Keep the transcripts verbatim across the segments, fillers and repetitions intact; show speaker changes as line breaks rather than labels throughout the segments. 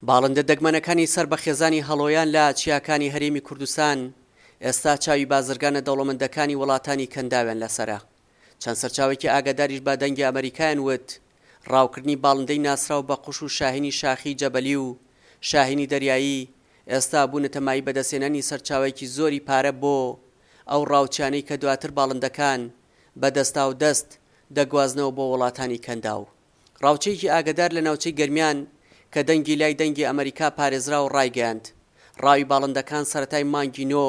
باڵندە دەگمەنەکانی سەر بە خێزانی هەڵۆیان لە چیاکانی هەرێمی کوردستان ئێستا چاوی بازرگانە دەوڵەمەندەکانی وڵاتانی کەنداویان لەسەرە. چەند سەرچاوەیەکی ئاگاداریش بە دەنگی ئەمەریکایان وت ڕاوکردنی باڵندەی ناسراو بە قوش و شاهینی شاخی جەبەلی و شاهینی دەریایی ئێستا بوونەتە مایەی بەدەستهێنانی سەرچاوەیەکی زۆری پارە بۆ ئەو ڕاوچیانەی کە دواتر باڵندەکان بە دەستاودەست دەگوازنەوە بۆ وڵاتانی کەنداو. ڕاوچییەکی ئاگەدار لە ناوچەی گەرمیان کە دەنگی لای دەنگی ئەمەریکا پارێزراو ڕایگەیاند، ڕاوی باڵندەکان سەرەتای مانگی نۆ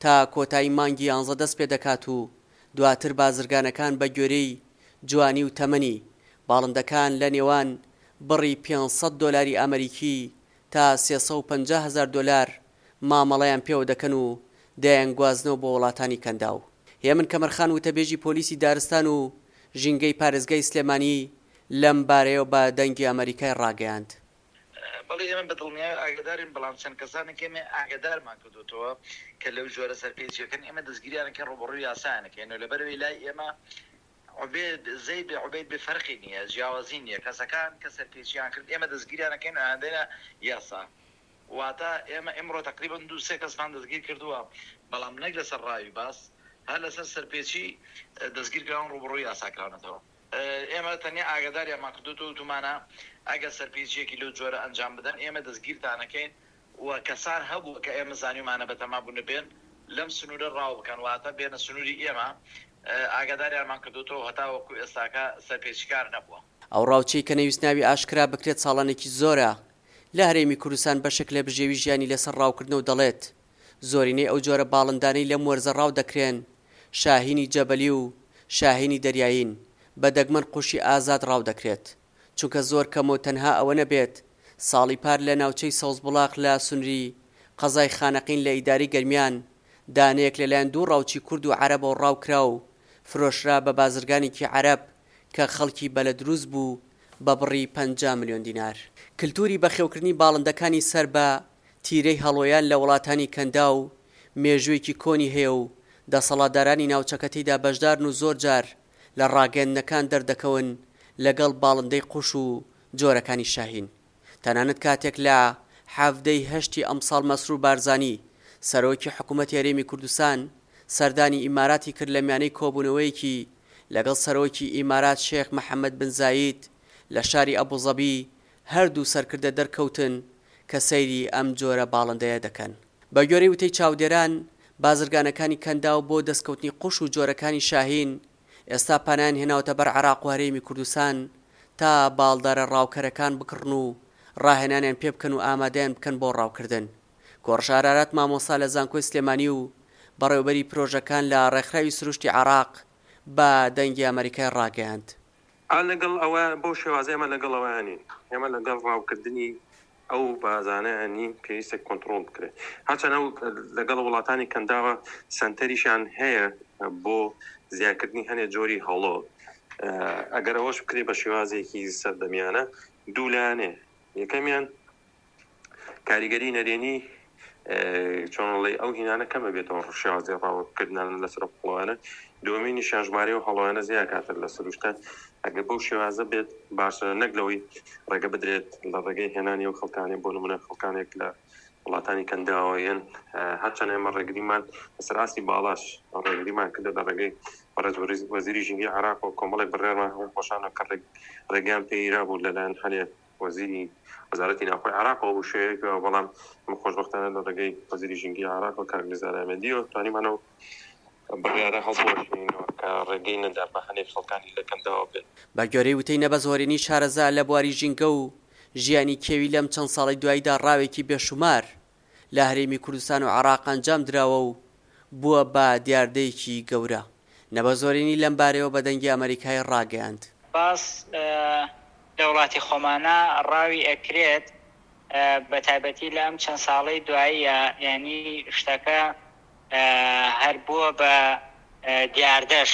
تا کۆتایی مانگی یانزە دەست پێدەکات و دواتر بازرگانەکان بە گوێرەی جوانی و تەمەنی باڵندەکان لە نێوان بڕی پێنج سەد دۆلاری ئەمەریکی تا سێ سەد و پەنجا هەزار دۆلار مامەڵەیان پێوە دەکەن و دەیانگوازنەوە بۆ وڵاتانی کەنداو. هێمن کەمەرخان وتەبێژی پۆلیسی دارستان و ژینگەی پارێزگای سلێمانی لەم بارەیەوە بە دەنگی ئەمەریکای ڕاگەیاند.
بەڵێ ئێمە بە دڵنیایی ئاگادارین، بەڵام چەند کەسانێک ئێمە ئاگادارمان کردوتەوە کە لەو جۆرە سەرپێچیەکەن ئێمە دەستگیریانەکەن، ڕووبەڕووی یاسایانەکەین. لەبەرەوەی لای ئێمە عوبێد زەید بێ عوبێد بێ فەرقی نییە، جیاوازی نییە. کەسەکان کە سەرپێچیان کرد ئێمە دەستگیریانەکەین و ئایندەینە یاسا. واتە ئێمە ئیمڕۆ تەقریبەن دوو سێ کەسمان دەستگیر کردووە، بەڵام نەک لەسەر ڕاوی باس، هەر لەسەر سەرپێچی دەستگیر کراون، ڕووبەڕووی یاسا کراونەتەوە. ئێمە تەنیا ئاگاداریانمان کردووەتەوە، وتومانە ئەگەر سەرپێچییەکی لەو جۆرە ئەنجام بدەن ئێمە دەستگیرتانەکەین و کەسان هەبووە کە ئێمە زانیومانە بەتەما بوونە بێن لەم سنوورە ڕاو بکەن، واتە بێنە سنووری ئێمە، ئاگاداریانمان کردووەتەوە، هەتاوەکو ئێستاکە سەرپێچیکار نەبووە.
ئەو ڕاوچیەی کە نەیویست ناوی ئاشکرا بکرێت ساڵانێکی زۆرە لە هەرێمی کوردستان بەشێک لە بژێوی ژیانی لەسەر ڕاوکردنە و دەڵێت زۆرینەی ئەو جۆرە باڵندانەی لەم وەرزە ڕاو دەکرێن شاهینی جەبەلی و شاهینی دەریایین، بە دەگمەن قوشی ئازاد ڕاو دەکرێت چونکە زۆر کەمە و تەنها ئەوە نەبێت ساڵی پار لە ناوچەی سەوزبوڵاخ لە سنوری قەزای خانەقین لە ئیدارەی گەرمیان دانەیەک لەلایەن دوو ڕاوچی کورد و عەرەبەوە ڕاو کرا و فرۆشرا بە بازرگانێکی عەرەب کە خەڵکی بەلەدروز بوو بە بڕی پەنجا ملیۆن دینار. کلتوری بەخێوکردنی باڵندەکانی سەر بە تیرەی هەڵۆیان لە وڵاتانی کەنداو مێژوویەکی کۆنی هەیە و دەسەڵاتدارانی ناوچەکە تێیدا بەشدارن و زۆر جار لە ڕاگەیەندنەکان دەردەکەون لەگەڵ باڵندەی قوش و جۆرەکانی شاهین. تەنانەت کاتێک لە حەڤدە ی هەشتی ئەمساڵ مەسرور بارزانی سەرۆکی حکومەتی هەرێمی کوردستان سەردانی ئیماراتی کرد لە میانەی کۆبوونەوەیەکی لەگەڵ سەرۆکی ئیمارات شێخ محەمەد بن زاید لە شاری ئەبوزەبی هەردوو سەرکردە دەرکەوتن کە سەیری ئەم جۆرە باڵندەیە دەکەن. بەگوێرەی وتەی چاودێران، بازرگانەکانی کەنداو بۆ دەستکەوتنی قوش و جۆرەکانی شاهین ئێستا پەنایان هێناوەتە بەر عێراق و هەرێمی کوردستان تا باڵدارە ڕاوکەرەکان بکڕن و ڕاهێنانیان پێبکەن و ئامادەیان بکەن بۆ ڕاوکردن. کۆڕش ئارارات مامۆستا لە زانکۆی سلێمانی و بەڕێوەبەری پرۆژەکان لە ڕێکخراوی سروشتی عێراق بە دەنگی ئەمەریکای ڕاگەیاند،
ئا لەگەڵ ئەوە بەو شێوازە ئێمە لەگەڵ ئەوەیان نین، ئێمە لەگەڵ ڕاوکردنی ئەو بازانەیان نین، پێویستە کۆنتڕۆڵ بکرێت. هەرچەند ئەو لەگەڵ وڵاتانی کەنداوە سەنتەریشیان هەیە بۆ زیادکردنی هەنێ جۆری هەڵۆ، ئەگەر ئەوەش بکرێت بە شێوازێکی سەردەمیانە دوو لایەنێ، یەکەمیان کاریگەری نەرێنی چۆنڵی ئەو هینانە کەمە بێتەوە شێوازی ڕاوکردنان لەسەر هەڵۆیانە، دووەمینیشیان ژمارەی ئەو هەڵۆیانە زیاکاتە لە سروشتە. ئەگەر بەو شێوازە بێت باشترە نەک لەوەی ڕێگە بدرێت لە ڕێگەی هێنانی ئەو خەڵکانەی بۆ نمونە خەڵکانێک لە وڵاتانی کەنداوە یەن. هەرچەند ئێمە ڕێگریمان لەسەر ئاستی باڵاش ڕێگریمان کردە لە ڕێگەی بەڕێز وەزیری ژینگەی عێراق و کۆمەڵێک بڕیارمان هەبوو خۆشانە کە ڕێگەیان پێگیرا بوو لەلایەن هەنێ وەزیری وەزارەتی ناوخۆی عێراقەوە بوو شێوەیەک بووە، بەڵام ئێمە خۆشبەختانە لە ڕێگەی وەزیری ژینگەی عێراقەوە کاک نزار ئامێدیەوە توانیمان ئەو بڕیارە هەڵبوەشێنینەوە کە ڕێگەی نەدا بە هەنێک خەڵکانی لە کەنداوە بێن.
بە گوێرەی وتەی نەبەز هۆرێنی شارەزا لە بواری ژینگە و ژیانی کێوی لەم چەند ساڵەی دواییدا ڕاوێکی بێشومار لە هەرێمی کوردستان و عێراق ئەنجام دراوە و بووە بە دیاردەیەکی گەورە. نەبەز هۆرێنی لەم بارەیەوە بە دەنگی ئەمەریکای ڕاگەیاند.
باس لە وڵاتی خۆمانا ڕاوی ئەکرێت بە تایبەتی لە ئەم چەند ساڵەی دواییە یانی شتەکە هەر بووە بە دیاردەش.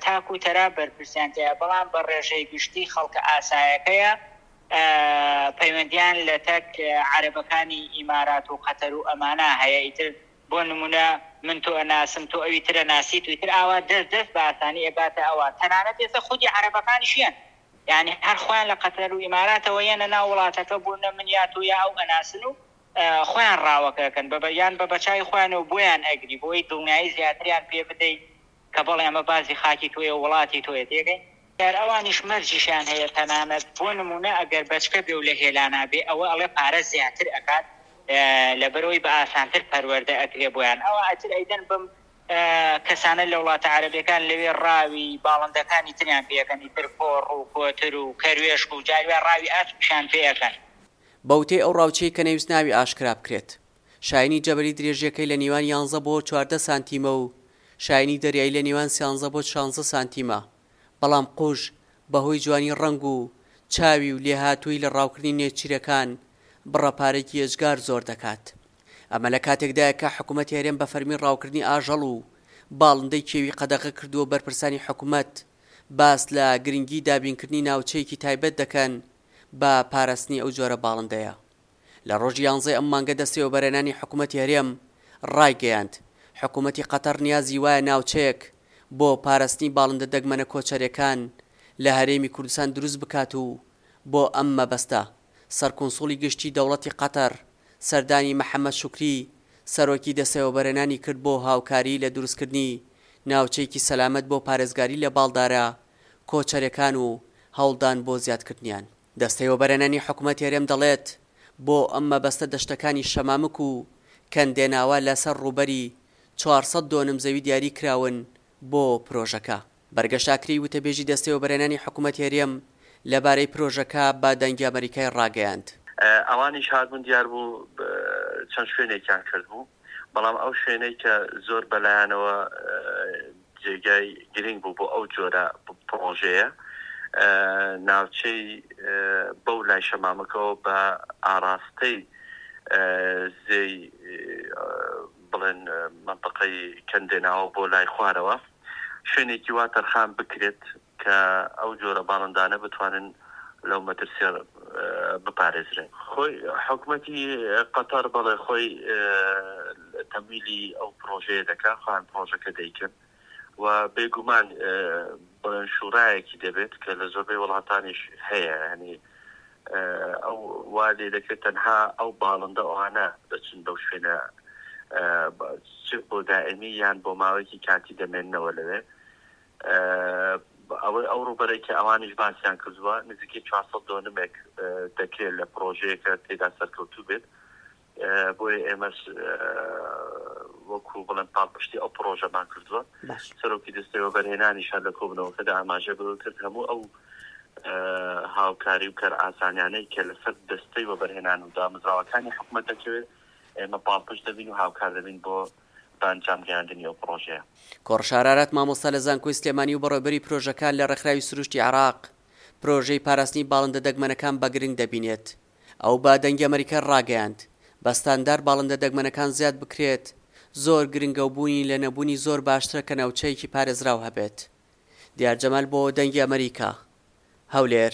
تاک و تەرا بەرپرسیان تێیە بەڵام بە ڕێژەی گشتی خەڵکە ئاسایەکەیە پەیوەندیان لە تەک عەرەبەکانی ئیمارات و قەتەر و ئەمانە هەیە ئیتر بۆ نمونە من تۆ ئەناسم تۆ ئەوی تر ئەناسیت و ئیتر ئاوا دەست دەست بە ئاسانی ئەگاتە ئەوان تەنانەت ئێستا خودی عەرەبەکانیش یەن. یانی هەر خۆیان لە قەتەر و ئیماراتەوە یەنە ناو وڵاتەکە بۆ نە من یا تۆ یا ئەو ئەناسن و خۆیان ڕاوەکە ئەکەن بە یان بە بەچاوی خۆیانەوە بۆیان ئەگری بۆی دڵنیایی زیاتریان پێ بدەی کە بەڵێ ئەمە بازی خاکی تۆیە و وڵاتی تۆیە تێگەی. دیار ئەوانیش مەرجیشیان هەیە تەنانەت بۆ نمونە ئەگەر بەچکە بێ و لە هێلانا بێ ئەوە ئەڵێ پارە زیاتر ئەکات لەبەرئەوەی بە ئاسانتر پەروەردە ئەکرێ بۆیان ئەوە ئەتر ئەیدەن بەم کەسانە لە وڵاتە عەرەبیەکان لەوێ ڕاوی باڵندەکانی تریان پێ ئەکەن ئیتر پۆڕ و کۆتر و کەروێشک و جاری وا ڕاوی ئاسکیشیان پێ ئەکەن.
بە وتەی ئەو ڕاوچیەی کە نەیوست ناوی ئاشکرا بکرێت، شاهینی جەبەلی درێژیەکەی لە نیوان یانزە بۆ چواردە سانتیمە و شاهینی دەریایی لە نێوان سیانزە بۆ شانزە سانتیمە، بەڵام قوژ بەهۆی جوانی ڕەنگ و چاوی و لێهاتوویی لە ڕاوکردنی نێچیرەکان بڕە پارەیەکی ئێجگار زۆر دەکات. ئەمە لە کاتێکدایە کە حکومەتی هەرێم بە فەرمی ڕاوکردنی ئاژەڵ و باڵندەی کێوی قەدەغە کردووە و بەرپرسانی حکومەت باس لە گرنگی دابینکردنی ناوچەیەکی تایبەت دەکەن بە پاراستنی ئەو جۆرە باڵندەیە. لە ڕۆژی یانزەی ئەم مانگە دەستەی وەبەرهێنانی حکومەتی هەرێم ڕایگەیاند، حکومەتی قەتەر نیازی وایە ناوچەیەک بۆ پاراستنی باڵندە دەگمەنە کۆچەریەکان لە هەرێمی کوردستان دروست بکات و بۆ ئەم مەبەستە سەرکونسوڵی گشتی دەوڵەتی قەتەر سەردانی محەمەد شوکری سەرۆکی دەستەی وەبەرهێنانی کرد بۆ هاوکاری لە دروستکردنی ناوچەیەکی سەلامەت بۆ پارێزگاری لە باڵدارە کۆچەریەکان و هەوڵدان بۆ زیادکردنیان. دەستەی وەبەرهێنانی حکومەتی هەرێم دەڵێت، بۆ ئەم مەبەستە دەشتەکانی شەمامک و کەندێناوە لەسەر ڕووبەری چوار سەد دۆنم زەوی دیاری کراون بۆ پرۆژەکە. بەرگەشت ئاکرێی وتەبێژی دەستەی وەبەرهێنانی حکومەتی هەرێم لەبارەی پرۆژەکە بە دەنگی ئەمەریکای ڕاگەیاند.
ئەوانیش هاتبوون دیار بوو چەند شوێنێکیان کردبوو، بەڵام ئەو شوێنەی کە زۆر بەلایانەوە جێگای گرنگ بوو بۆ ئەو جۆرە پڕۆژەیە ناوچەی بەو لای شەمامەکەەوە بە ئاراستەی زێی بڵێن منطقەی کەندێناوە بۆ لای خوارەوە شوێنێکی وا تەرخان بکرێت کە ئەو جۆرە باڵندانە بتوانن لەو مەترسیە بپارێزرێن. خۆی حکومەتی قەتەر بەڵێ خۆی تەمویلی ئەو پرۆژەیە دەکا، خۆیان پرۆژەکە دەیکەن و بێگومان بڵێن شوڕایەکی دەبێت کە لە زۆربەی وڵاتانیش هەیە، یعنی ئەو وا لێ دەکرێت تەنها ئەو باڵندە ئەوانە دەچن بەو شوێنە چ بۆ دائمی یان بۆ ماوەیەکی کاتی دەمێننەوە لەوێ. ئەوەی ئەو ڕووبەرەی کە ئەوانیش باسیان کردووە نزیکەی چوار سەد دۆنمێک دەکرێت لە پرۆژەیەکە تێدا سەرکەوتوو بێت، بۆیە ئێمەش وەکو بڵێن پاڵپشتی ئەو پرۆژەمان کردووە. سەرۆکی دەستەی وەبەرهێنانیش هەر لە کۆبوونەوەکەدا ئاماژە بەوە کرد هەموو ئەو هاوکاری و کارئاسانیانەی کە لەسەر دەستەی وەبەرهێنان و دامەزراوەکانی حکومەت دەکەوێت ئێمە پاڵپشت دەبین و هاوکار دەبین بۆ بە ئەنجام گەیاندنی ئەو پڕۆژەیە.
کۆڕش ئارارات مامۆستا لە زانکۆی سلێمانی و بەڕێوەبەری پرۆژەکان لە ڕێکخراوی سروشتی عێراق پرۆژەی پاراستنی باڵندە دەگمەنەکان بە گرنگ دەبینێت. ئەو بە دەنگی ئەمەریکای ڕاگەیاند، بە ستاندار باڵندە دەگمەنەکان زیاد بکرێت زۆر گرنگە و بوونی لە نەبوونی زۆر باشترە کە ناوچەیەکی پارێزراو هەبێت. دیار جەمال بۆ دەنگی ئەمەریکا، هەولێر.